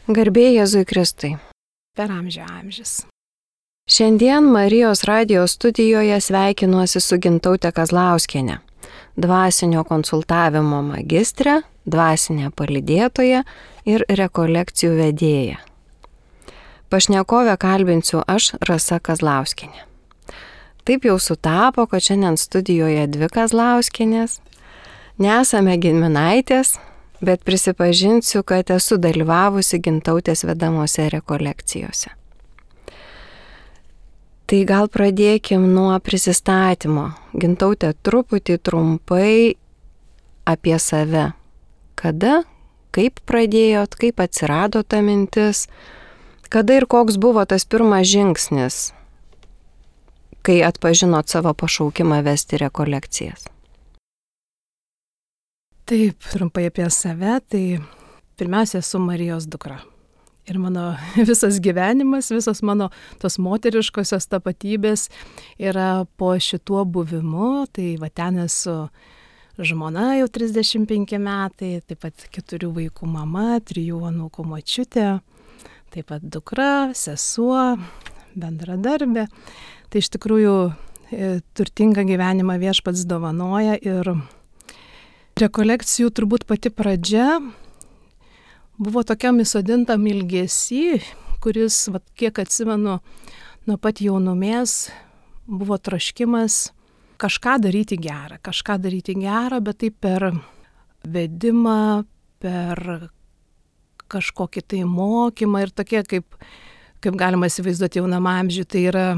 Garbė Jėzui Kristui. Per amžius. Šiandien Marijos radijo studijoje sveikinuosi su Gintaute Kazlauskiene, dvasinio konsultavimo magistrė, dvasinė palydėtoja ir rekolekcijų vedėja. Pašnekovę kalbinsiu aš, Rasa Kazlauskienė. Taip jau sutapo, kad šiandien studijoje dvi Kazlauskienės. Nesame giminaitės, bet prisipažinsiu, kad esu dalyvavusi Gintautės vedamose rekolekcijose. Tai gal pradėkim nuo prisistatymo. Gintautė, trumpai apie save. Kada, kaip pradėjot, kaip atsirado ta mintis, kada ir koks buvo tas pirmas žingsnis, kai atpažinot savo pašaukimą vesti rekolekcijas? Taip, trumpai apie save, tai pirmiausia, esu Marijos dukra. Ir mano visas gyvenimas, visos mano tos moteriškosios tapatybės yra po šituo buvimu. Tai va ten esu žmona jau 35 metai, taip pat 4 vaikų mama, 3 anūkų močiutė, taip pat dukra, sesuo, bendradarbė. Tai iš tikrųjų turtingą gyvenimą Viešpats dovanoja ir rekolekcijų turbūt pati pradžia buvo tokiam įsodintam ilgesy, kuris, kiek atsimenu, nuo pat jaunumės buvo troškimas kažką daryti gerą, bet tai per vedimą, per kažkokį tai mokymą ir tokie, kaip galima įsivaizduoti jaunam amžiui, tai yra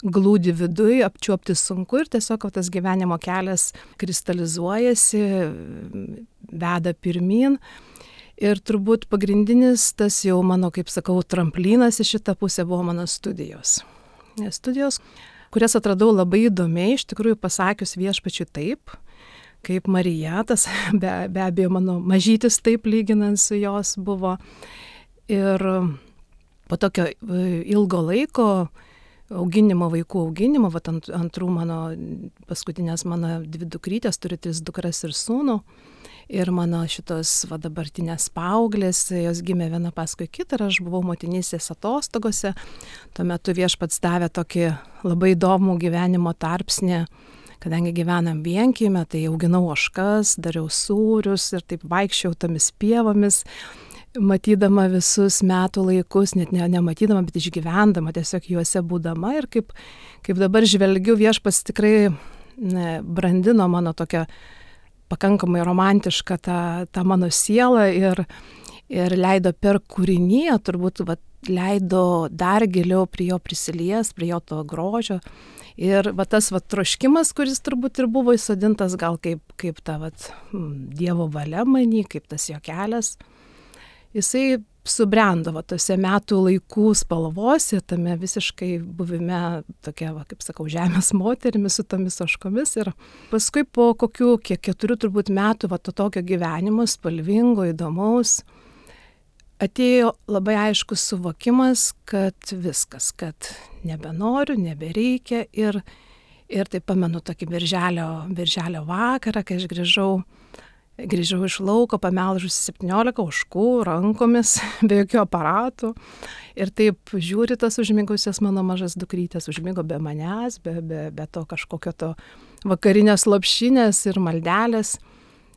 glūdi viduj, apčiuopti sunku ir tiesiog tas gyvenimo kelias kristalizuojasi, veda pirmyn. Ir turbūt pagrindinis tas jau mano, kaip sakau, tramplinas į šitą pusę buvo mano studijos. Studijos, kurias atradau labai įdomiai, iš tikrųjų pasakius Viešpačiui taip, kaip Marija, tas be abejo mano mažytis taip lyginant su jos buvo. Ir po tokio ilgo laiko vaikų auginimo, antrų mano, paskutinės mano 2 dukrytės, turiu 3 dukras ir sūnų. Ir mano šitos dabartinės paauglės, jos gimė viena paskui kitą ir aš buvau motinystės atostogose. Tuo metu Viešpats davė tokį labai įdomų gyvenimo tarpsnį, kadangi gyvenam vienkieme, tai auginau ožkas, dariau sūrius ir taip vaikščiau tomis pievomis, matydama visus metų laikus, net nematydama, bet išgyvendama, tiesiog juose būdama. Ir kaip dabar žvelgiu, Viešpats tikrai brandino mano tokią pakankamai romantišką tą mano sielą ir leido per kūriniją, turbūt leido dar giliau prie jo prisilies, prie jo to grožio. Ir tas troškimas, kuris turbūt ir buvo įsodintas gal kaip ta Dievo valia manį, kaip tas jo kelias, jisai subrendo tose metų laikų spalvose, tame visiškai buvime tokia, kaip sakau, žemės moterimis su tomis ožkomis. Ir paskui po kokių 4 turbūt metų to tokio gyvenimo, spalvingo, įdomaus, atėjo labai aiškus suvokimas, kad viskas, kad nebenoriu, nebereikia. Ir tai pamenu tokį birželio vakarą, kai aš grįžau iš lauko, pamelžusi 17 ožkų rankomis, be jokių aparatų. Ir taip žiūri tas užmigusias mano mažas dukrytės, užmigo be manęs, be to kažkokio to vakarinės lopšinės ir maldelės.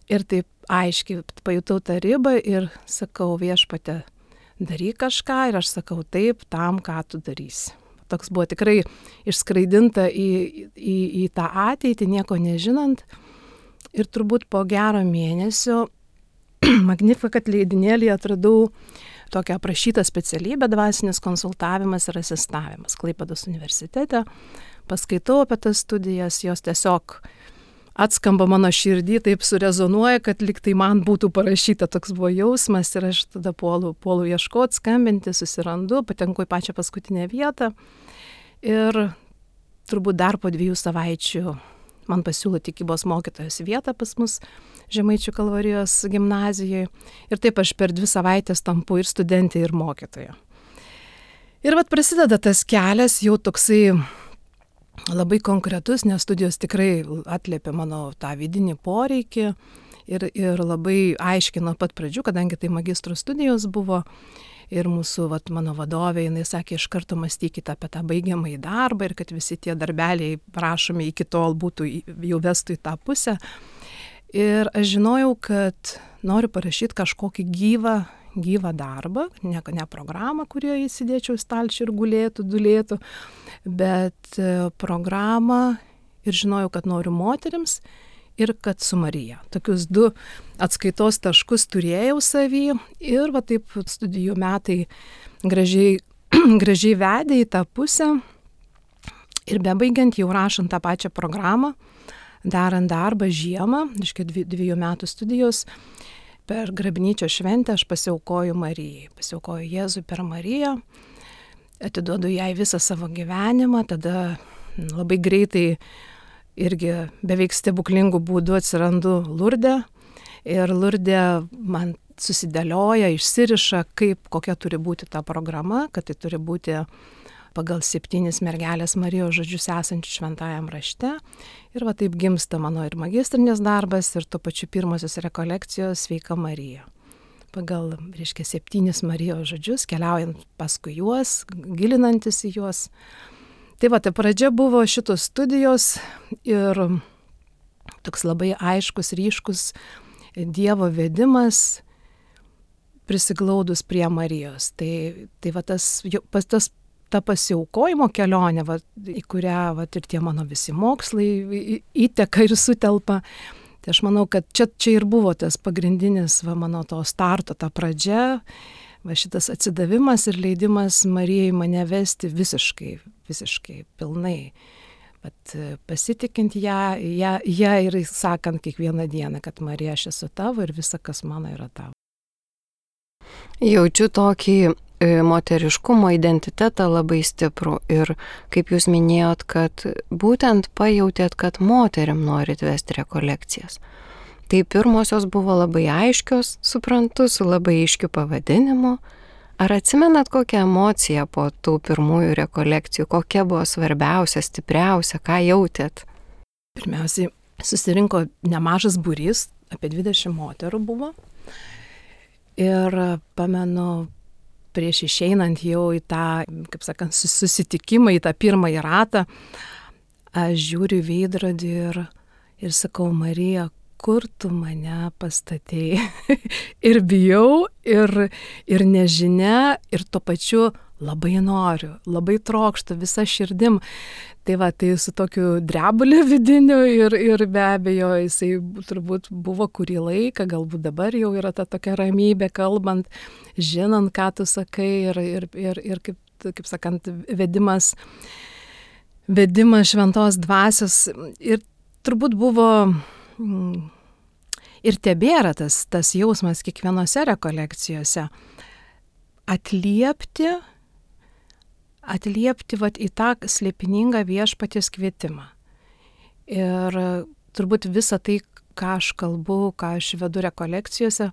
Ir taip aiškiai pajutau tą ribą ir sakau, Viešpatie, daryk kažką, ir aš sakau taip tam, ką tu darysi. Toks buvo tikrai išskraidinta į tą ateitį, nieko nežinant. Ir turbūt po gero mėnesio Magnificat leidinėlyje atradau tokią aprašytą specialybę dvasinis konsultavimas ir asistavimas Klaipėdos universitete. Paskaitau apie tas studijas, jos tiesiog atskamba mano širdį, taip surezonuoja, kad lyg tai man būtų parašyta, toks buvo jausmas. Ir aš tada puolu ieškoti, skambinti, susirandu, patenku į pačią paskutinę vietą. Ir turbūt dar po 2 savaičių man pasiūlo tikybos mokytojos vietą pas mus Žemaičių Kalvarijos gimnazijoje. Ir taip aš per 2 savaitės tampu ir studentė, ir mokytoja. Ir prasideda tas kelias jau toksai labai konkretus, nes studijos tikrai atliepia mano tą vidinį poreikį ir labai aiškiai nuo pat pradžių, kadangi tai magistro studijos buvo, Ir mūsų, mano vadovė, jinai sakė, iš karto mąstykite apie tą baigiamąjį darbą ir kad visi tie darbeliai prašomi iki tol būtų jau vestų į tą pusę. Ir aš žinojau, kad noriu parašyti kažkokį gyvą darbą, ne programą, kurioje įsidėčiau į stalčių ir dulėtų, bet programą ir žinojau, kad noriu moterims ir kad su Marija. Tokius 2 atskaitos taškus turėjau savy ir taip studijų metai gražiai vedė į tą pusę ir bebaigiant jau rašant tą pačią programą, darant darbą žiemą, 2 metų studijos, per Grabnyčio šventę aš pasiaukoju Marijai, pasiaukoju Jėzui per Mariją, atiduodu jai visą savo gyvenimą, tada labai greitai irgi beveik stebuklingų būdų atsirandu Lurde ir Lurde man susidėlioja, išsiriša, kokia turi būti ta programa, kad tai turi būti pagal 7 mergelės Marijos žodžius esančių šventajam rašte. Ir taip gimsta mano ir magistrinės darbas ir tuo pačiu pirmosios rekolekcijos Sveika Marija. Pagal, 7 Marijos žodžius, keliaujant paskui juos, gilinantis į juos. Tai pradžia buvo šitos studijos ir toks labai aiškus, ryškus Dievo vedimas prisiglaudus prie Marijos. Ta pasiaukojimo kelionė, į kurią ir tie mano visi mokslai įteka ir sutelpa. Tai aš manau, kad čia ir buvo tas pagrindinis mano to starto, ta pradžia, šitas atsidavimas ir leidimas Marijai mane vesti visiškai pilnai. Pasitikint ją ir sakant kiekvieną dieną, kad Marija, aš esu tavo ir visa, kas mano, yra tavo. Jaučiu tokį moteriškumo identitetą labai stiprų ir kaip jūs minėjot, kad būtent pajautėt, kad moterim norit vesti rekolekcijas. Tai pirmosios buvo labai aiškios, suprantu, su labai aiškiu pavadinimu. Ar atsimenat kokią emociją po tų pirmųjų rekolekcijų, kokia buvo svarbiausia, stipriausia, ką jautėt? Pirmiausiai, susirinko nemažas būrys, apie 20 moterų buvo. Ir pamenu, prieš išeinant jau į tą, kaip sakant, susitikimą, į tą pirmąjį ratą, aš žiūriu į veidrodį ir sakau, Marija, kur tu mane pastatei? Ir bijau, ir nežinia, ir tuo pačiu labai noriu, labai trokštu visą širdim. Tai su tokiu drebuliu vidiniu ir be abejo jisai turbūt buvo kurį laiką, galbūt dabar jau yra ta tokia ramybė kalbant, žinant, ką tu sakai ir kaip sakant, vedimas šventos dvasios. Ir turbūt buvo ir tebėra tas jausmas kiekvienose rekolekcijose atliepti į tą slėpiningą viešpaties kvietimą. Ir turbūt visa tai, ką aš kalbu, ką aš vedu rekolekcijose,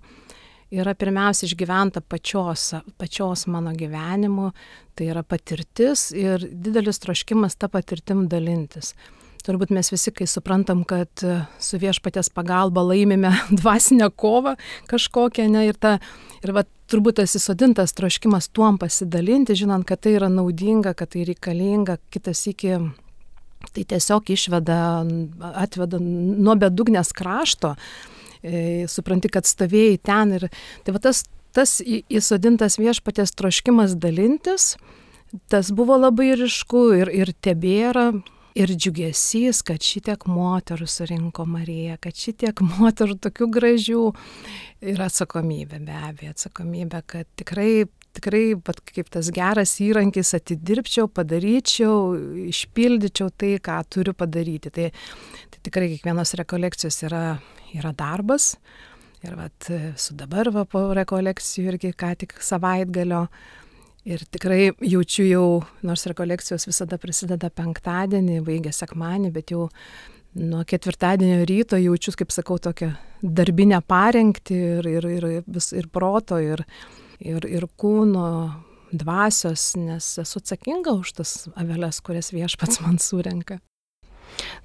yra pirmiausia išgyventa pačios mano gyvenimu, tai yra patirtis ir didelis troškimas tą patirtim dalintis. Turbūt mes visi, kai suprantam, kad su viešpaties pagalba laimime dvasinę kovą kažkokią, ir turbūt tas įsodintas troškimas tuom pasidalinti, žinant, kad tai yra naudinga, kad tai reikalinga, kitas iki tai tiesiog atveda nuo bedugnės krašto, supranti, kad stovėjai ten ir tas įsodintas viešpaties troškimas dalintis, tas buvo labai ryšku ir tebėra. Ir džiugesys, kad šitiek moterų surinko Mariją, kad šitiek moterų tokių gražių ir atsakomybė, be abejo, atsakomybė, kad tikrai, kaip tas geras įrankis atidirbčiau, padaryčiau, išpildyčiau tai, ką turiu padaryti. Tai tikrai kiekvienos rekolekcijos yra darbas. Ir su dabar po rekolekcijų irgi ką tik savaitgalio. Ir tikrai jaučiu jau, nors rekolekcijos visada prasideda penktadienį, baigia sekmadienį, bet jau nuo ketvirtadienio ryto jaučiu, kaip sakau, tokią darbinę parengtį ir proto, ir kūno, dvasios, nes esu atsakinga už tas aveles, kurias viešpats man surenka.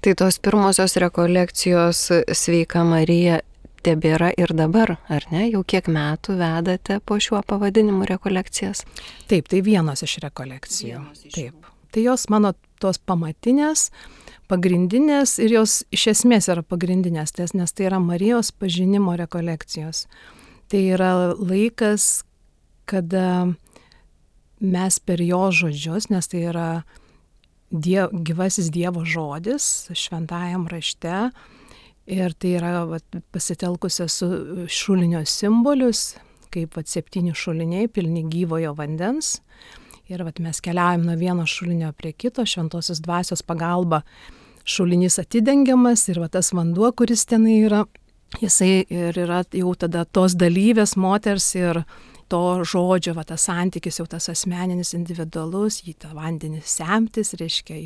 Tai tos pirmosios rekolekcijos Sveika Marija tebėra ir dabar, ar ne? Jau kiek metų vedate po šiuo pavadinimu rekolekcijas? Taip, tai vienos iš rekolekcijų. Taip. Tai jos mano tos pamatinės, pagrindinės ir jos iš esmės yra pagrindinės, nes tai yra Marijos pažinimo rekolekcijos. Tai yra laikas, kada mes per jo žodžius, nes tai yra gyvasis Dievo žodis šventajam rašte, ir tai yra pasitelkusios su šulinio simbolius, kaip 7 šuliniai pilni gyvojo vandens. Ir mes keliaujam nuo vieno šulinio prie kito, šventosios dvasios pagalba šulinys atidengiamas ir tas vanduo, kuris ten yra, jisai ir yra jau tada tos dalyvės moters ir to žodžio, tas santykis jau tas asmeninis, individualus, jį tą vandenį semtis, reiškia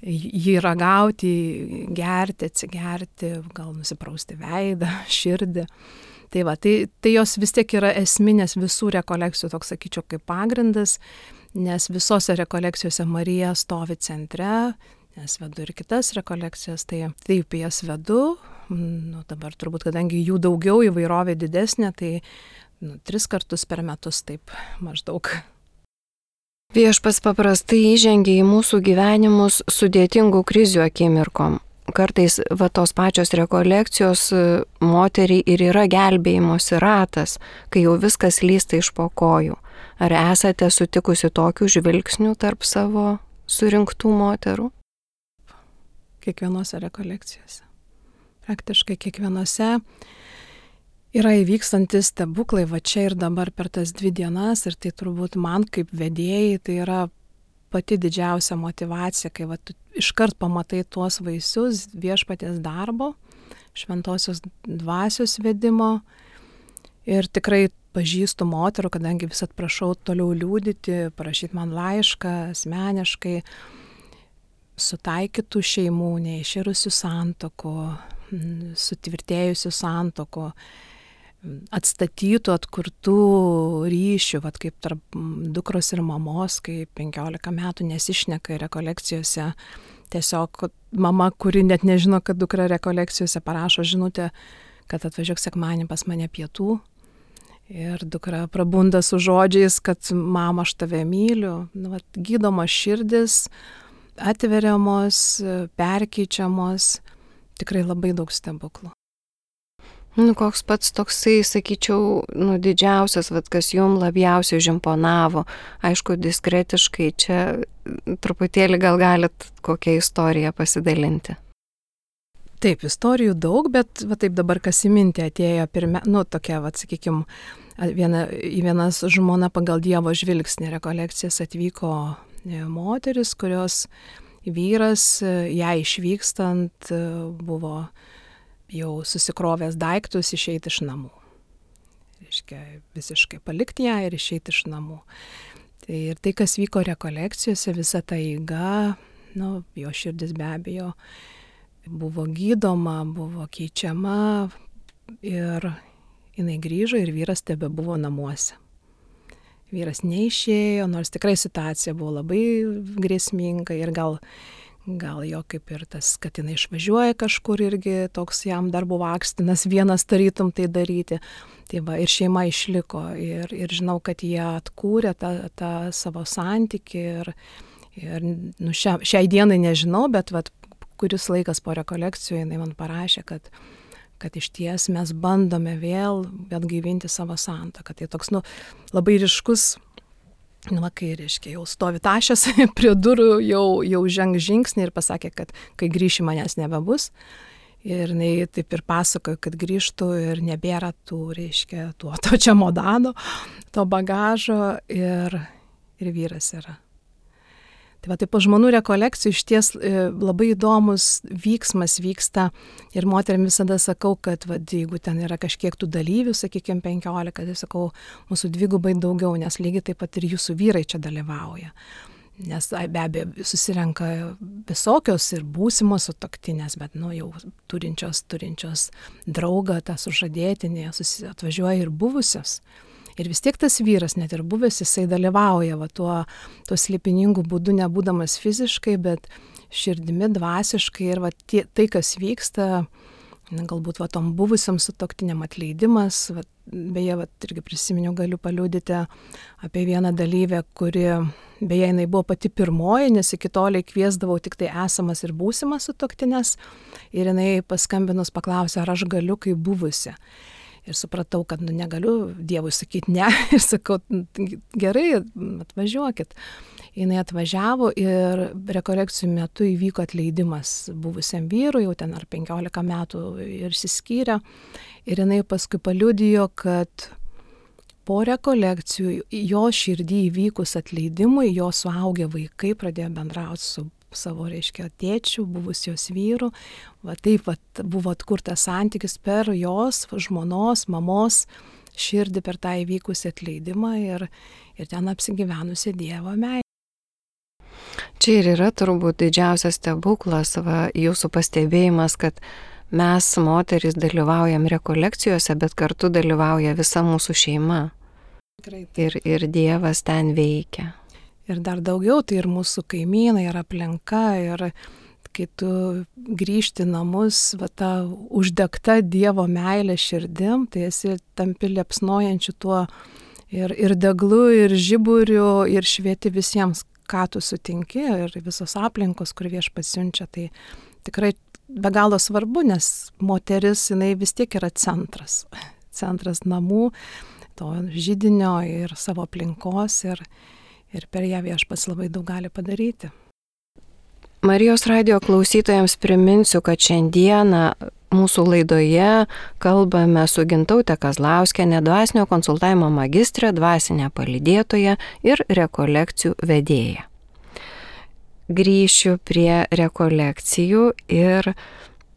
jį ragauti, gerti, atsigerti, gal nusiprausti veidą, širdį. Tai jos vis tiek yra esminės visų rekolekcijų, toks sakyčiau, kaip pagrindas, nes visose rekolekcijose Marija stovi centre, nes vedu ir kitas rekolekcijas, tai taip jas vedu, dabar turbūt, kadangi jų daugiau, įvairovė didesnė, tai 3 kartus per metus taip maždaug. Viešpats paprastai įžengia į mūsų gyvenimus sudėtingų krizių akimirkom. Kartais tos pačios rekolekcijos moteriai ir yra gelbėjimosi ratas, kai jau viskas lysta iš po kojų. Ar esate sutikusi tokių žvilgsnių tarp savo surinktų moterų? Kiekvienose rekolekcijose. Praktiškai kiekvienose yra įvykstantis stebuklai, čia ir dabar per tas 2 dienas, ir tai turbūt man kaip vedėjai tai yra pati didžiausia motyvacija, kai tu iškart pamatai tuos vaisius viešpaties darbo, šventosios dvasios vedimo, ir tikrai pažįstu moterų, kadangi vis prašau toliau liudyti, parašyti man laišką asmeniškai, sutaikytų šeimų, neišėrusių santuokų, sutvirtėjusių santuokų, atstatytų, atkurtų ryšių, kaip tarp dukros ir mamos, kai 15 metų nesišneka rekolekcijose. Tiesiog mama, kuri net nežino, kad dukra rekolekcijose, parašo žinutę, kad atvažiuok sekmadienį pas mane pietų. Ir dukra prabunda su žodžiais, kad mama, aš tave myliu. Gydomos širdis, atveriamos, perkeičiamos, tikrai labai daug stebuklų. Koks pats toksai, sakyčiau, didžiausias, kas jums labiausiai žimponavo, aišku, diskretiškai, čia truputėlį gal galit kokią istoriją pasidalinti. Taip, istorijų daug, bet taip dabar kas į mintį atėjo tokia, sakykime, vienas žmona pagal Dievo žvilgsnį rekolekcijas atvyko moteris, kurios vyras, ją išvykstant, buvo jau susikrovęs daiktus išeiti iš namų. Reiškia, visiškai palikti ją ir išeiti iš namų. Ir tai, kas vyko rekolekcijose, visa ta eiga, jo širdis be abejo buvo gydoma, buvo keičiama ir jinai grįžo ir vyras tebebuvo namuose. Vyras neišėjo, nors tikrai situacija buvo labai grėsminga ir gal jo kaip ir tas, kad jinai išvažiuoja kažkur, irgi toks jam dar buvo akstinas vienas tarytum tai daryti. Ir šeima išliko ir žinau, kad jie atkūrė tą savo santykį ir šiai dienai nežinau, bet kuris laikas po rekolekcijų jinai man parašė, kad iš ties mes bandome vėl atgaivinti savo santuoką. Tai toks labai ryškus, kai reiškia, jau stovi tašęs prie durų, jau ženg žingsnį ir pasakė, kad kai grįši manęs nebebus. Ir jinai taip ir pasakojo, kad grįžtų ir nebėra to čemodano, to bagažo ir vyras yra. Tai po žmonų rekolekcijų iš ties labai įdomus vyksmas vyksta ir moterim visada sakau, kad jeigu ten yra kažkiek tų dalyvių, sakykime 15, tai sakau, mūsų 2 daugiau, nes lygiai taip pat ir jūsų vyrai čia dalyvauja. Nes be abejo susirenka visokios ir būsimos sutuoktinės, bet jau turinčios draugą, tą sužadėtinį, atvažiuoja ir buvusios. Ir vis tiek tas vyras, net ir buvęs, jisai dalyvauja tuo slėpiningu būdu, nebūdamas fiziškai, bet širdimi, dvasiškai. Ir tai, kas vyksta, galbūt tom buvusiam sutuoktiniam atleidimas. Beje, irgi prisiminiau, galiu paliudyti apie vieną dalyvę, kuri, beje, jinai buvo pati pirmoji, nes iki toliai kviesdavau tik tai esamas ir būsimas sutuoktinės. Ir jinai paskambinus paklausė, ar aš galiu kaip buvusi. Ir supratau, kad negaliu Dievui sakyti ne. Ir sakau, gerai, atvažiuokit. Jinai atvažiavo ir rekolekcijų metu įvyko atleidimas buvusiam vyrui, jau ten ar 15 metų ir išsiskyrė. Ir jinai paskui paliudijo, kad po rekolekcijų jo širdį įvykus atleidimui, jo suaugę vaikai pradėjo bendrauti su savo, tėčiu, buvusijos vyru. Taip buvo atkurtas santykis per jos, žmonos, mamos širdį per tą įvykusį atleidimą ir ten apsigyvenusi Dievo meilė. Čia ir yra turbūt didžiausias stebuklas, jūsų pastebėjimas, kad mes, moterys, dalyvaujam rekolekcijose, bet kartu dalyvauja visa mūsų šeima. Ir Dievas ten veikia. Ir dar daugiau, tai ir mūsų kaimynai, ir aplinka, ir kai tu grįžti namus, ta uždegta Dievo meilė širdim, tai esi tampi liepsnojančiu tuo ir deglu, ir žiburiu, ir švieti visiems, ką tu sutinki, ir visos aplinkos, kur Viešpats siunčia. Tai tikrai be galo svarbu, nes moteris, jinai vis tiek yra centras namų, to židinio ir savo aplinkos, ir per ją Viešpats labai daug gali padaryti. Marijos radijo klausytojams priminsiu, kad šiandieną mūsų laidoje kalbame su Gintaute Kazlauskiene, dvasinio konsultavimo magistrė, dvasinė palydėtoja ir rekolekcijų vedėja. Grįšiu prie rekolekcijų ir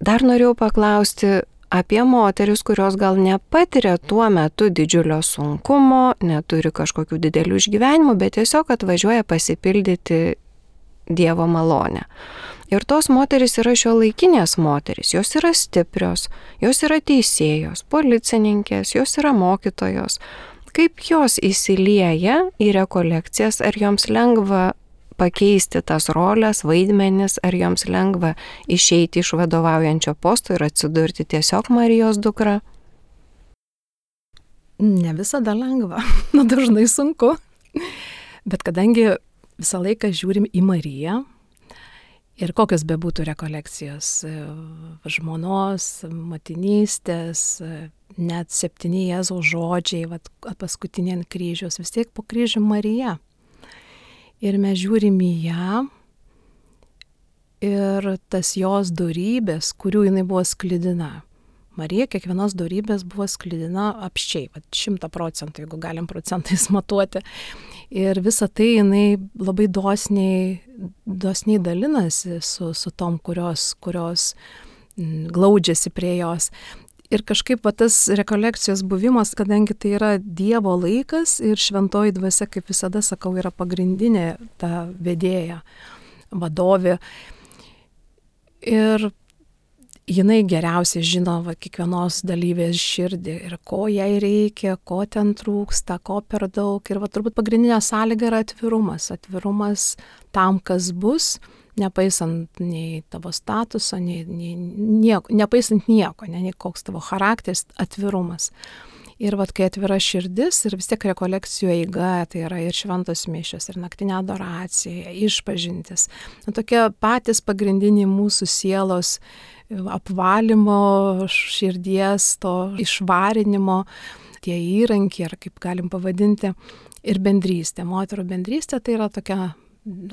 dar norėjau paklausti apie moteris, kurios gal nepatiria tuo metu didžiulio sunkumo, neturi kažkokių didelių išgyvenimų, bet tiesiog atvažiuoja pasipildyti Dievo malonę. Ir tos moterys yra šiuolaikinės moterys, jos yra stiprios, jos yra teisėjos, policininkės, jos yra mokytojos. Kaip jos įsilieja į rekolekcijas, ar joms lengva pakeisti tas rolės, vaidmenis, ar joms lengva išeiti iš vadovaujančio posto ir atsidurti tiesiog Marijos dukra? Ne visada lengva, dažnai sunku, bet kadangi visą laiką žiūrim į Mariją ir kokios bebūtų rekolekcijos, žmonos, motinystės, net 7 Jėzaus žodžiai, paskutinė ant kryžiaus, vis tiek po kryžium Marija. Ir mes žiūrim į ją ir tas jos dorybės, kurių jinai buvo sklidina. Marija kiekvienos dorybės buvo sklidina apsčiai, 100%, jeigu galim procentais matuoti. Ir visą tai jinai labai dosniai dalinasi su tom, kurios glaudžiasi prie jos. Ir kažkaip tas rekolekcijos buvimas, kadangi tai yra Dievo laikas ir šventoji dvasia, kaip visada sakau, yra pagrindinė ta vedėja, vadovė. Ir jinai geriausiai žino kiekvienos dalyvės širdį ir ko jai reikia, ko ten trūksta, ko per daug. Ir turbūt pagrindinė sąlyga yra atvirumas. Atvirumas tam, kas bus, nepaisant nei tavo statuso, nepaisant nieko, nei koks tavo charakteris, atvirumas. Ir kai atvira širdis ir vis tiek rekolekcijų eiga, tai yra ir šventos mišios, ir naktinė adoracija, išpažintis. Tokie patys pagrindiniai mūsų sielos apvalymo, širdies, to išvarinimo, tie įrankiai, ar kaip galim pavadinti, ir bendrystė. Moterų bendrystė tai yra tokia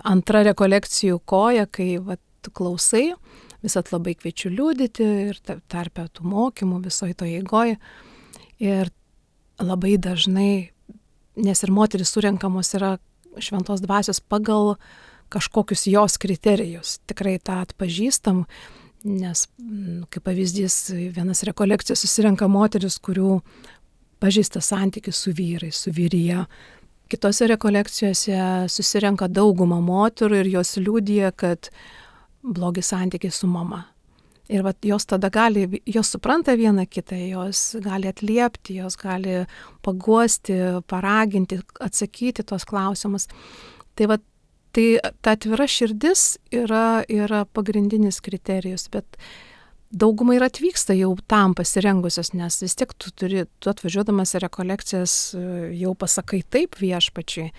antra rekolekcijų koja, kai tu klausai, visat labai kviečiu liudyti ir tarpe tų mokymų visoje to eigoje. Ir labai dažnai, nes ir moteris surenkamos yra šventos dvasios pagal kažkokius jos kriterijus. Tikrai tą atpažįstam, nes, kaip pavyzdys, vienas rekolekcijas susirenka moteris, kurių pažįsta santykis su vyrais, su vyrija. Kitose rekolekcijose susirenka dauguma moterų ir jos liudija, kad blogi santykiai su mama. Ir jos tada jos supranta vieną kitą, jos gali atliepti, jos gali paguosti, paraginti, atsakyti tos klausimus. Tai ta atvira širdis yra pagrindinis kriterijus, bet dauguma ir atvyksta jau tam pasirengusios, nes vis tiek tu atvažiuodamas į rekolekcijas jau pasakai taip viešpačiui,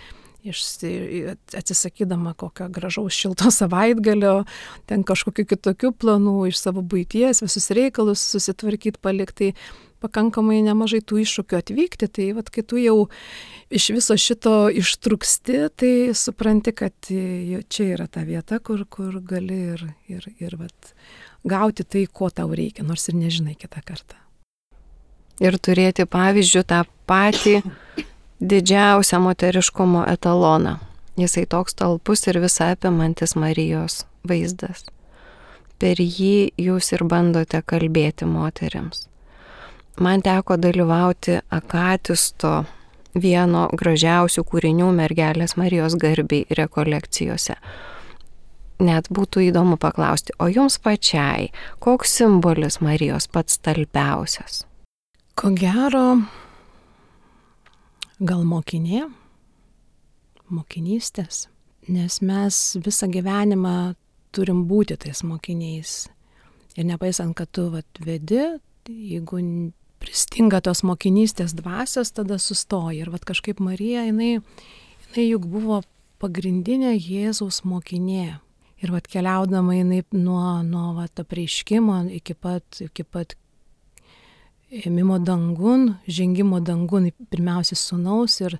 atsisakydama kokio gražaus šilto savaitgalio, ten kažkokių kitokių planų iš savo buities, visus reikalus susitvarkyti, palikti, pakankamai nemažai tų iššūkių atvykti, tai kai tu jau iš viso šito ištrūksti, tai supranti, kad čia yra ta vieta, kur gali ir gauti tai, ko tau reikia, nors ir nežinai kitą kartą. Ir turėti pavyzdžių tą patį didžiausią moteriškumo etaloną. Jisai toks talpus ir visą apimantis Marijos vaizdas. Per jį jūs ir bandote kalbėti moteriams. Man teko dalyvauti Akatisto vieno gražiausių kūrinių Mergelės Marijos garbei rekolekcijose. Net būtų įdomu paklausti, o jums pačiai, koks simbolis Marijos pats talpiausias? Ko gero, gal mokinystės, nes mes visą gyvenimą turim būti tais mokiniais. Ir nepaisant, kad tu vedi, jeigu pristinga tos mokinystės dvasios, tada sustoji. Ir kažkaip Marija, jinai juk buvo pagrindinė Jėzaus mokinė. Ir keliaudama jinai nuo apreiškimo iki pat ėmimo dangun, žengimo dangun, pirmiausia sūnaus ir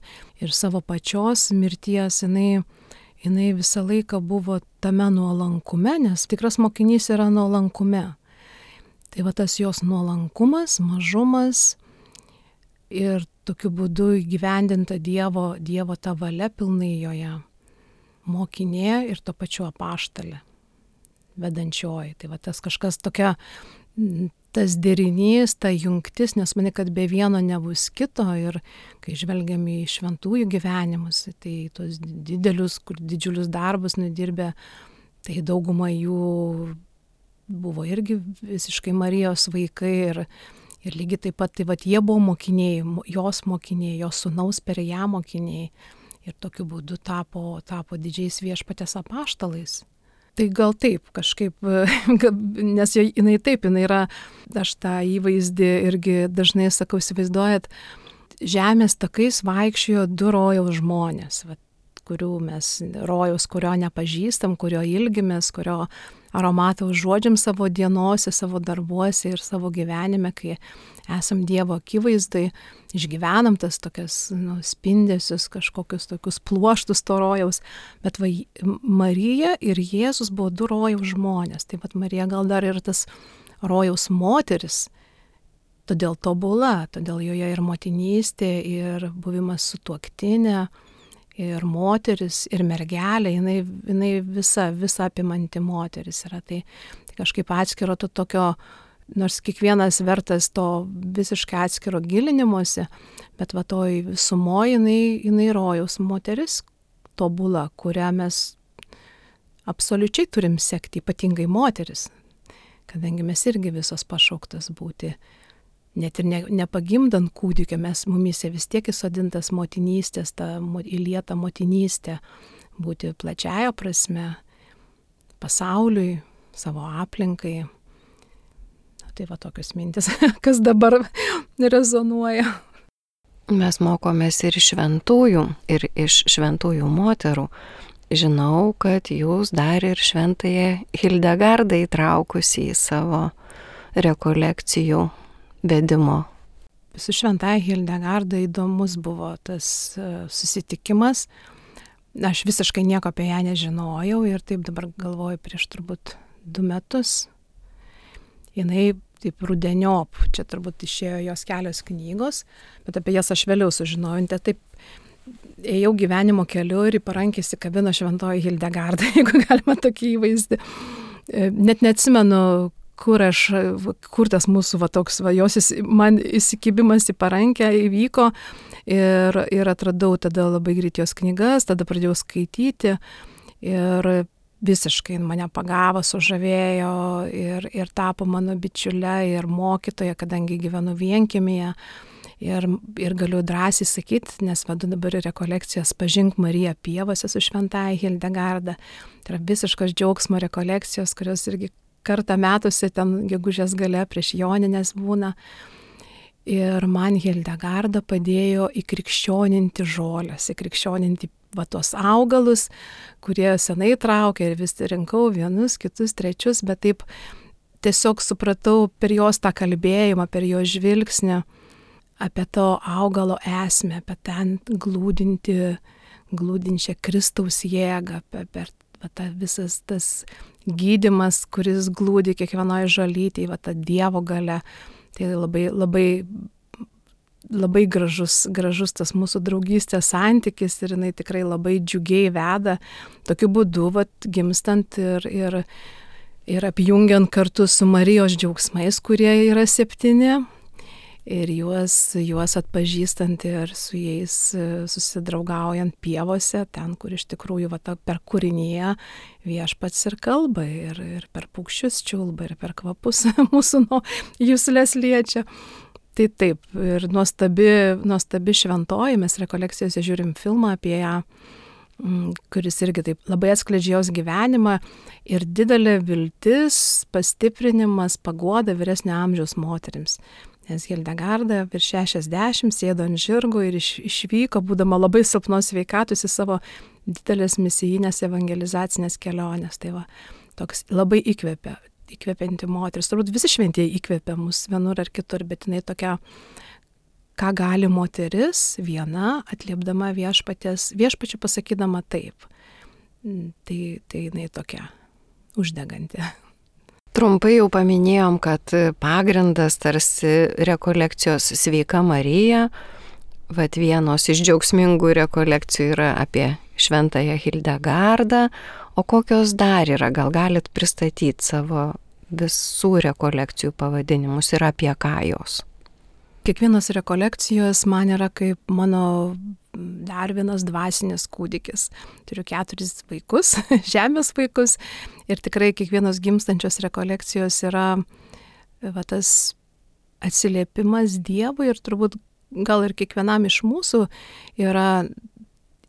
savo pačios mirties, jinai visą laiką buvo tame nuolankume, nes tikras mokinys yra nuolankume. Tai tas jos nuolankumas, mažumas ir tokiu būdu įgyvendinta Dievo ta valia pilnai joje. Mokinė ir to pačiu apaštalė, vedančioji. Tai tas kažkas tokia, tas derinys, ta jungtis, nes manai, kad be vieno nebus kito. Ir kai žvelgiame į šventųjų gyvenimus, tai tos didžiulius darbus nudirbę, tai dauguma jų buvo irgi visiškai Marijos vaikai ir lygiai taip pat, jie buvo mokiniai, jos sūnaus per ją mokiniai ir tokiu būdu tapo didžiais viešpatės apaštalais. Tai gal taip kažkaip, nes jinai yra, aš tą įvaizdį irgi dažnai sakau, įsivaizduojat, žemės takais vaikščiojo 2 rojaus žmonės, rojaus, kurio nepažįstam, kurio ilgimės, kurio aromatą užuodžiam savo dienose, savo darbuose ir savo gyvenime, kai esam Dievo akivaizdai, išgyvenam tas tokias spindesius, kažkokius tokius pluoštus to rojaus, bet Marija ir Jėzus buvo 2 rojaus žmonės, tai Marija gal dar ir tas rojaus moteris, todėl tobula, todėl joje ir motinystė, ir buvimas sutuoktinė, ir moteris, ir mergelė, jinai visa apimanti moteris yra. Tai kažkaip atskiro to tokio, nors kiekvienas vertas to visiškai atskiro gilinimuose, bet toj visumoje jinai rojaus moteris tobula, kurią mes absoliučiai turim sekti, ypatingai moteris, kadangi mes irgi visos pašauktas būti. Net ir nepagimdant kūdikio, mumise vis tiek įsodintas motinystės, ta įlieta motinystė, būti plačiaja prasme, pasauliui, savo aplinkai. Tai tokios mintis, kas dabar rezonuoja. Mes mokomės ir šventųjų, ir iš šventųjų moterų. Žinau, kad jūs dar ir šventąją Hildegardą įtraukusi į savo rekolekcijų vedimo. Su šventąja Hildegarda įdomus buvo tas susitikimas. Aš visiškai nieko apie ją nežinojau ir taip dabar galvoju prieš turbūt 2 metus. Jinai taip rudeniop, čia turbūt išėjo jos kelios knygos, bet apie jas aš vėliau sužinojau. Taip ėjau gyvenimo keliu ir į parankį įsikabino šventoji Hildegarda, jeigu galima tokį įvaizdį. Net neatsimenu, kur tas mūsų jos man įsikibimas į parankę įvyko ir atradau tada labai greit jos knygas, tada pradėjau skaityti ir visiškai mane pagavo, sužavėjo ir tapo mano bičiule ir mokytoja, kadangi gyvenu vienkiemyje ir galiu drąsiai sakyti, nes vedu dabar rekolekcijas Pažink Mariją pievose su šventąja Hildegarda. Tai yra visiškas džiaugsmo rekolekcijos, kurios irgi kartą metuose ten gegužės gale prieš Jonines būna. Ir man Hildegarda padėjo įkrikščioninti žolės, įkrikščioninti tos augalus, kurie senai traukia ir vis rinkau vienus, kitus, trečius, bet taip tiesiog supratau per jos tą kalbėjimą, per jos žvilgsnį apie to augalo esmę, apie ten glūdinčią Kristaus jėgą, per tą visas tas gydymas, kuris glūdi kiekvienoje žolytėje, tą Dievo galia. Tai labai gražus tas mūsų draugystės santykis ir jinai tikrai labai džiugiai veda. Tokiu būdu gimstant ir apjungiant kartu su Marijos džiaugsmais, kurie yra 7, ir juos atpažįstant ir su jais susidraugaujant pievose, ten, kur iš tikrųjų per kūrinyje viešpats ir kalba, ir per paukščius čiulba, ir per kvapus mūsų juslės liečia. Tai taip, ir nuostabi šventoji, mes rekolekcijose žiūrim filmą apie ją, kuris irgi taip labai atskleidžia jos gyvenimą ir didelė viltis, pastiprinimas, paguoda vyresnio amžiaus moterims. Nes Hildegarda virš 60 sėdo ant žirgo ir išvyko, būdama labai silpnos sveikatos, į savo didelės misijinės evangelizacinės kelionės. Tai toks labai įkvepianti moteris. Turbūt visi šventieji įkvepia mus vienur ar kitur, bet jinai tokia, ką gali moteris viena, atliepdama viešpačiu pasakydama taip. Tai jinai tokia uždeganti. Trumpai jau paminėjom, kad pagrindas tarsi rekolekcijos Sveika Marija. Vienos iš džiaugsmingų rekolekcijų yra apie šventąją Hildegardą. O kokios dar yra? Gal galit pristatyti savo visų rekolekcijų pavadinimus ir apie ką jos? Kiekvienos rekolekcijos man yra kaip mano dar vienas dvasinis kūdikis. Turiu 4 vaikus, žemės vaikus, ir tikrai kiekvienos gimstančios rekolekcijos yra tas atsiliepimas Dievui, ir turbūt gal ir kiekvienam iš mūsų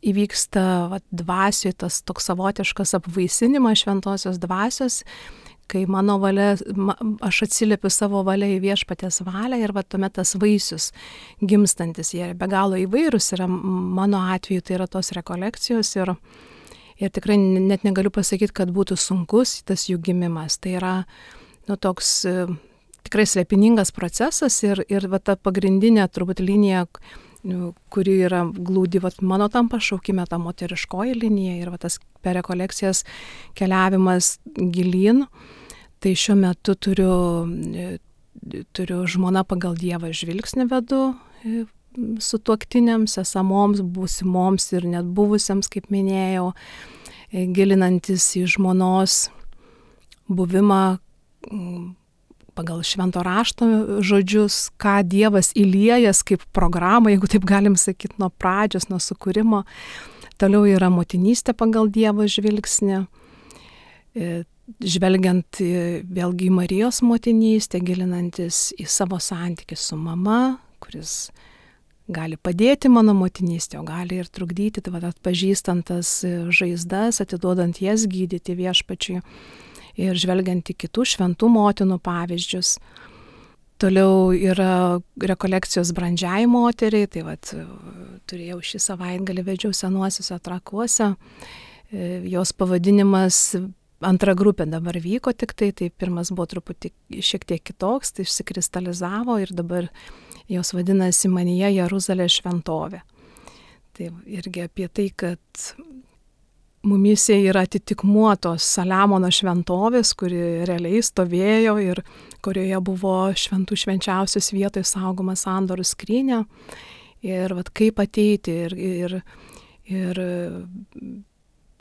įvyksta dvasioje tas toks savotiškas apvaisinimas šventosios dvasios, kai mano valia, aš atsiliepiu savo valia į viešpaties valią, ir tuomet tas vaisius gimstantis, jie be galo įvairūs yra. Mano atveju tai yra tos rekolekcijos, ir tikrai net negaliu pasakyti, kad būtų sunkus tas jų gimimas. Tai yra toks tikrai slėpiningas procesas, ir ta pagrindinė turbūt linija, kuri yra glūdi mano tam pašaukime, ta moteriškoji linija, ir tas per rekolekcijas keliavimas gilyn. Tai šiuo metu turiu žmona pagal Dievą žvilgsnį vedu sutuoktiniams, esamoms, būsimoms ir net buvusiams, kaip minėjau, gilinantis į žmonos buvimą pagal švento rašto žodžius, ką Dievas įliejas kaip programą, jeigu taip galim sakyti, nuo pradžios, nuo sukūrimo. Toliau yra motinystė pagal Dievo žvilgsnį, žvelgiant vėlgi į Marijos motinystę, gilinantis į savo santykį su mama, kuris gali padėti mano motinystė, o gali ir trukdyti, tai atpažįstant tas žaizdas, atiduodant jas gydyti viešpačiui ir žvelgiant į kitų šventų motinų pavyzdžius. Toliau yra rekolekcijos brandžiai moteriai, tai turėjau šį savaitgalį, vedžiau Senuosiuose Trakuose. Jos pavadinimas, antra grupė dabar vyko tik tai pirmas buvo truputį šiek tiek kitoks, tai išsikristalizavo, ir dabar jos vadinasi Manyje Jeruzalės šventovė. Tai irgi apie tai, kad mumyse yra atitikmuo tos Saliamono šventovės, kuri realiai stovėjo ir kurioje buvo šventų švenčiausios vietoje saugoma sandorų skrynia. Ir kaip ateiti ir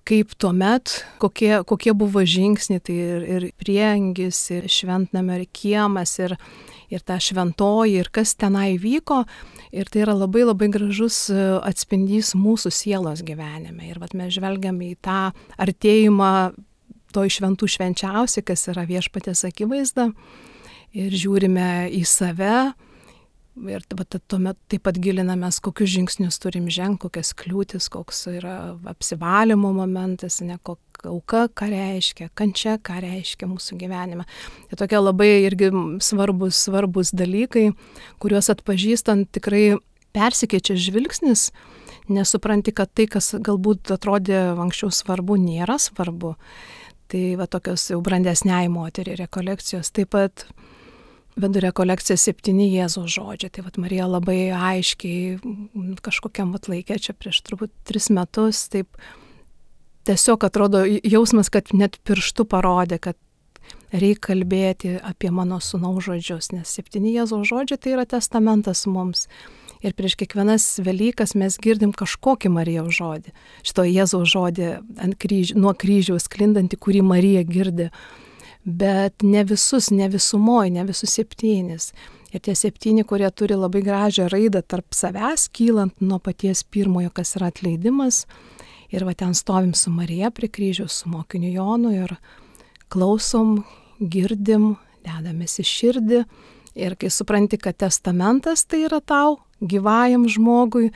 kaip tuomet, kokie buvo žingsniai, tai ir priengis, ir šventnamio, ir kiemas, ir ta šventoji, ir kas tenai vyko. Ir tai yra labai labai gražus atspindys mūsų sielos gyvenime. Ir mes žvelgiam į tą artėjimą to šventų švenčiausiai, kas yra viešpaties akivaizda, ir žiūrime į save. Ir tuomet taip pat gilinamės, kokius žingsnius turim žengti, kokias kliūtis, koks yra apsivalymo momentas, auka, ką reiškia, kančia, ką reiškia mūsų gyvenime. Tai tokie labai irgi svarbus dalykai, kuriuos atpažįstant tikrai persikeičia žvilgsnis, nesupranti, kad tai, kas galbūt atrodė anksčiau svarbu, nėra svarbu. Tai va tokios jau brandesniai moteriai rekolekcijos. Taip pat vedu rekolekciją 7 Jėzaus žodžiai. Tai vat Marija labai aiškiai kažkokiam vat laikė, čia prieš turbūt 3 metus, taip tiesiog atrodo jausmas, kad net pirštu parodė, kad reikia kalbėti apie mano sūnaus žodžius, nes 7 Jėzaus žodžiai tai yra testamentas mums. Ir prieš kiekvienas Velykas mes girdim kažkokį Marijos žodį. Šito Jėzaus žodį nuo kryžiaus sklindantį, kurį Marija girdi. Bet ne visus 7. Ir tie 7, kurie turi labai gražią raidą tarp savęs, kylant nuo paties pirmojo, kas yra atleidimas. Ir va ten stovim su Marija prie kryžiaus, su mokiniu Jonu ir klausom, girdim, dedamės į širdį. Ir kai supranti, kad testamentas tai yra tau, gyvajam žmogui,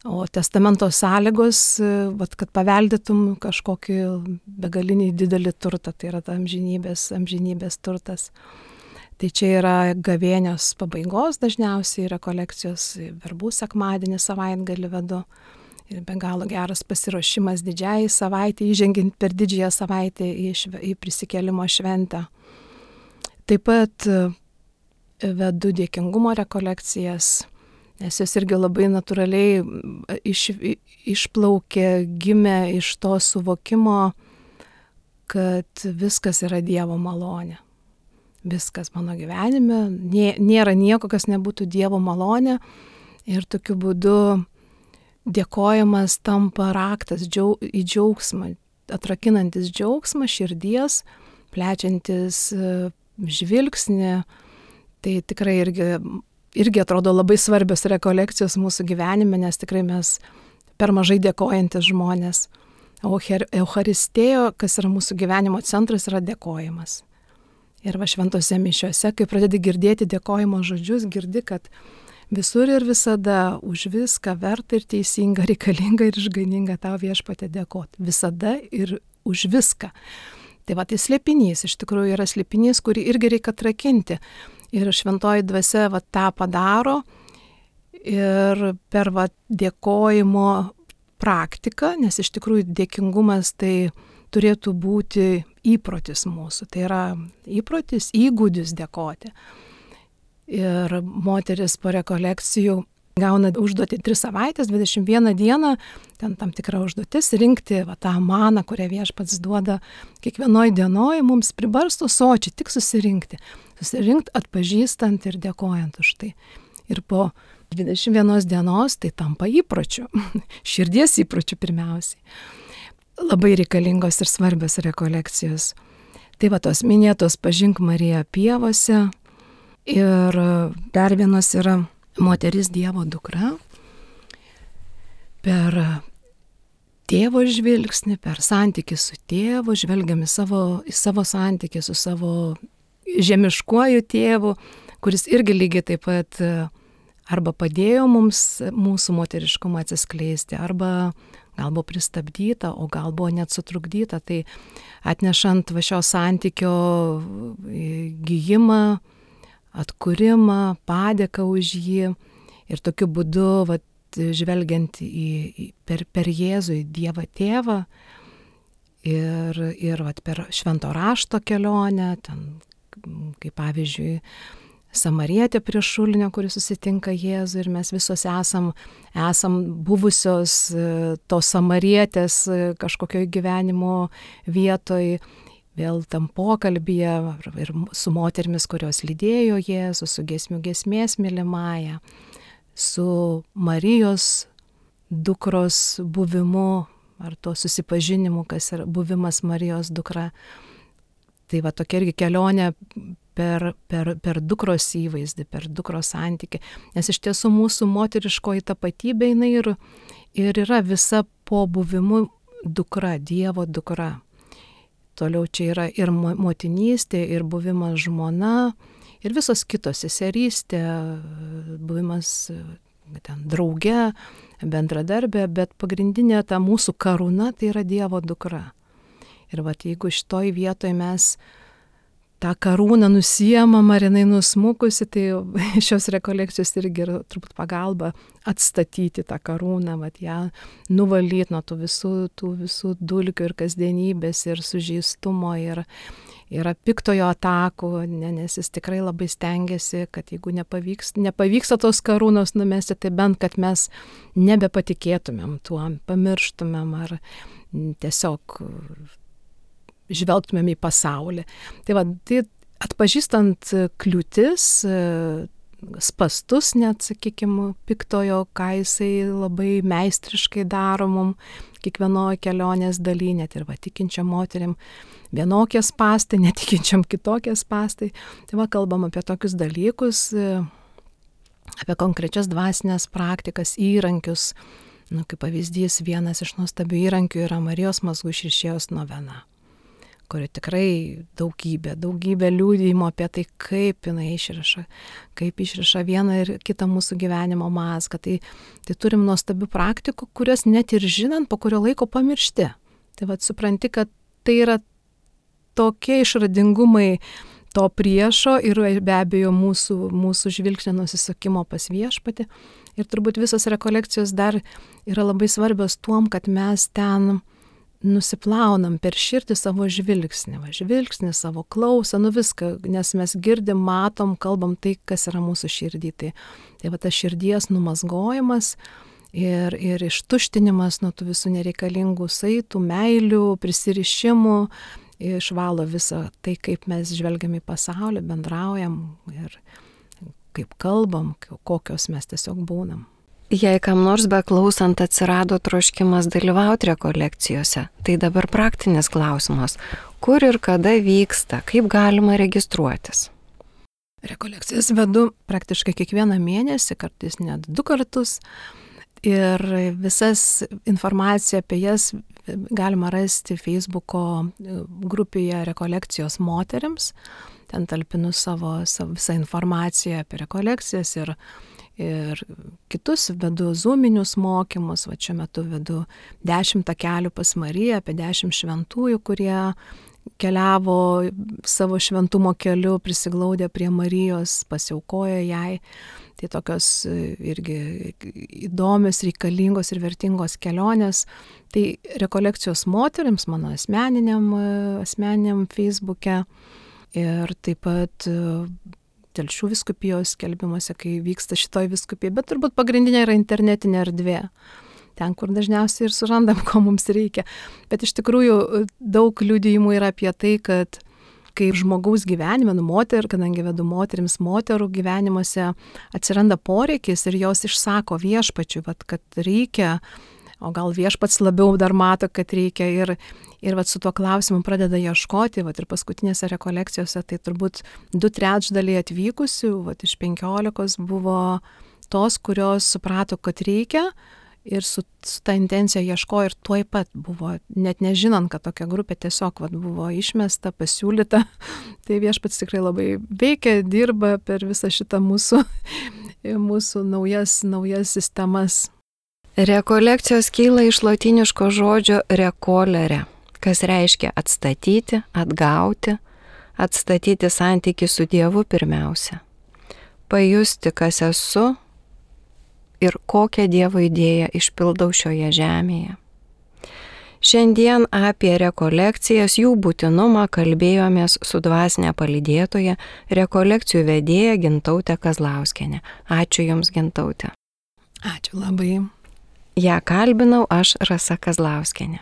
o testamento sąlygos, vat, kad paveldėtum kažkokį begalinį didelį turtą, tai yra ta amžinybės turtas. Tai čia yra gavėnios pabaigos dažniausiai rekolekcijos, verbų sekmadienį savaitgalį vedu. Ir be galo geras pasiruošimas didžiai savaitė, įžengiant per didžiąją savaitę į prisikėlimo šventę. Taip pat vedu dėkingumo rekolekcijas, nes jos irgi labai natūraliai išplaukė, gimė iš to suvokimo, kad viskas yra Dievo malonė. Viskas mano gyvenime, nėra nieko, kas nebūtų Dievo malonė. Ir tokiu būdu dėkojimas tampa raktas į džiaugsmą, atrakinantis džiaugsmą širdies, plečiantis žvilgsnį. Tai tikrai irgi atrodo labai svarbios rekolekcijos mūsų gyvenime, nes tikrai mes per mažai dėkojantis žmonės. O Eucharistėjo, kas yra mūsų gyvenimo centras, yra dėkojimas. Ir va šventose mišiuose, kai pradedi girdėti dėkojimo žodžius, girdi, kad visur ir visada už viską verta ir teisinga, reikalinga ir išgaininga tau Viešpatie dėkoti. Visada ir už viską. Tai va, tai slėpinys, iš tikrųjų yra slėpinys, kurį irgi reikia atrakinti. Ir šventoji dvasia va, tą padaro ir per va, dėkojimo praktiką, nes iš tikrųjų dėkingumas tai turėtų būti įprotis mūsų. Tai yra įprotis, įgūdis dėkoti. Ir moteris po rekolekcijų gauna užduotį 3 savaitės, 21 dieną, ten tam tikra užduotis rinkti va, tą maną, kurią Viešpats duoda kiekvienoj dienoj, mums pribarstų sočiai, tik susirinkti, atpažįstant ir dėkojant už tai. Ir po 21 dienos tai tampa įpročiu, širdies įpročiu pirmiausiai. Labai reikalingos ir svarbios rekolekcijos. Tai va tos minėtos Pažink Mariją pievose ir dar vienos yra moteris Dievo dukra. Per tėvo žvilgsnį, per santykį su tėvu, žvelgiam į savo santykį su savo žemiškuoju tėvu, kuris irgi lygiai taip pat arba padėjo mums mūsų moteriškumą atsiskleisti, arba gal buvo pristabdyta, o gal buvo net sutrukdyta. Tai atnešant va šio santykio gijimą, atkūrimą, padėką už jį ir tokiu būdu vat, žvelgiant per Jėzų į Dievą tėvą ir vat, per švento rašto kelionę, ten, kaip pavyzdžiui, Samarietė prie šulinio, kuris susitinka Jėzų ir mes visos esam buvusios tos Samarietės kažkokio gyvenimo vietoj, vėl tam pokalbyje ir su moterimis, kurios lydėjo Jėzų, su giesmių giesmės mylimąja, su Marijos dukros buvimu ar to susipažinimu, kas yra buvimas Marijos dukra. Tai va tokia irgi kelionė per dukros įvaizdį, per dukros santykį. Nes iš tiesų mūsų moteriškoji tapatybė jinai ir yra visa po buvimu dukra, Dievo dukra. Toliau čia yra ir motinystė, ir buvimas žmona, ir visos kitos seserystė, buvimas ten drauge, bendradarbė, bet pagrindinė ta mūsų karūna tai yra Dievo dukra. Ir vat jeigu šitoj vietoje mes tą karūną nusiemam, ar jinai nusmukusi, tai šios rekolekcijos irgi yra turbūt pagalba atstatyti tą karūną, vat ją nuvalyti nuo tų visų dulkių ir kasdienybės ir sužeistumo ir piktojo atakų, nes jis tikrai labai stengiasi, kad jeigu nepavyksta tos karūnos numesti, tai bent, kad mes nebepatikėtumėm tuo, pamirštumėm ar tiesiog žvelgtumėm į pasaulį. Tai atpažįstant kliūtis, spastus net, sakykime, piktojo, ką jisai labai meistriškai daro mum kiekvienoje kelionės daly, net ir tikinčiam moterim vienokie spastai, netikinčiam kitokie spastai. Tai kalbam apie tokius dalykus, apie konkrečias dvasinės praktikas, įrankius. Kaip pavyzdys, vienas iš nuostabių įrankių yra Marijos mazgų išrišėjos novena, kuri tikrai daugybė liudijimo apie tai, kaip jinai išriša vieną ir kitą mūsų gyvenimo mazgą. Tai turim nuostabių praktikų, kurias net ir žinant, po kurio laiko pamiršti. Tai supranti, kad tai yra tokie išradingumai to priešo ir be abejo mūsų žvilgsnio nusisukimo pas Viešpatį. Ir turbūt visos rekolekcijos dar yra labai svarbios tuom, kad mes ten nusiplaunam per širdį savo žvilgsnį, savo klausą, viską, nes mes girdim, matom, kalbam tai, kas yra mūsų širdį. Tai tas širdies numazgojimas ir ištuštinimas nuo tų visų nereikalingų saitų, meilių, prisirišimų, išvalo visą tai, kaip mes žvelgiam į pasaulį, bendraujam ir kaip kalbam, kokios mes tiesiog būnam. Jei kam nors beklausant atsirado troškimas dalyvauti rekolekcijose, tai dabar praktinis klausimas, kur ir kada vyksta, kaip galima registruotis? Rekolekcijas vedu praktiškai kiekvieną mėnesį, kartais net 2 kartus. Ir visas informaciją apie jas galima rasti Facebooko grupėje Rekolekcijos moterims. Ten talpinu savo visą informaciją apie rekolekcijas ir kitus vedu zoominius mokymus. Šiuo metu vedu 10 takelių pas Mariją, apie 10 šventųjų, kurie keliavo savo šventumo keliu, prisiglaudę prie Marijos, pasiaukojo jai. Tai tokios irgi įdomios, reikalingos ir vertingos kelionės. Tai rekolekcijos moterims mano asmeniniam Facebook'e ir taip pat Telšių vyskupijos skelbimuose, kai vyksta šitoj vyskupijai, bet turbūt pagrindinė yra internetinė erdvė. Ten, kur dažniausiai ir surandam, ko mums reikia. Bet iš tikrųjų daug liudijimų yra apie tai, kad kaip žmogaus gyvenime, kadangi vedu moterų gyvenimuose atsiranda poreikis ir jos išsako Viešpačiui, kad reikia, o gal Viešpats labiau dar mato, kad reikia ir su tuo klausimu pradeda ieškoti, ir paskutinėse rekolekcijose tai turbūt 2/3 atvykusių, iš 15 buvo tos, kurios suprato, kad reikia ir su ta intencija ieškojo ir tuoj pat buvo, net nežinant, kad tokia grupė tiesiog buvo išmesta, pasiūlyta. Tai Viešpats tikrai labai veikia, dirba per visą šitą mūsų naujas sistemas. Rekolekcijos kyla iš lotyniško žodžio rekolere, kas reiškia atstatyti, atgauti, atstatyti santykį su Dievu pirmiausia, pajusti, kas esu ir kokią Dievo idėją išpildau šioje žemėje. Šiandien apie rekolekcijas, jų būtinumą kalbėjomės su dvasinė palydėtoja, rekolekcijų vedėja Gintautė Kazlauskienė. Ačiū Jums, Gintautė. Ačiū labai. Ją kalbinau aš, Rasa Kazlauskienė.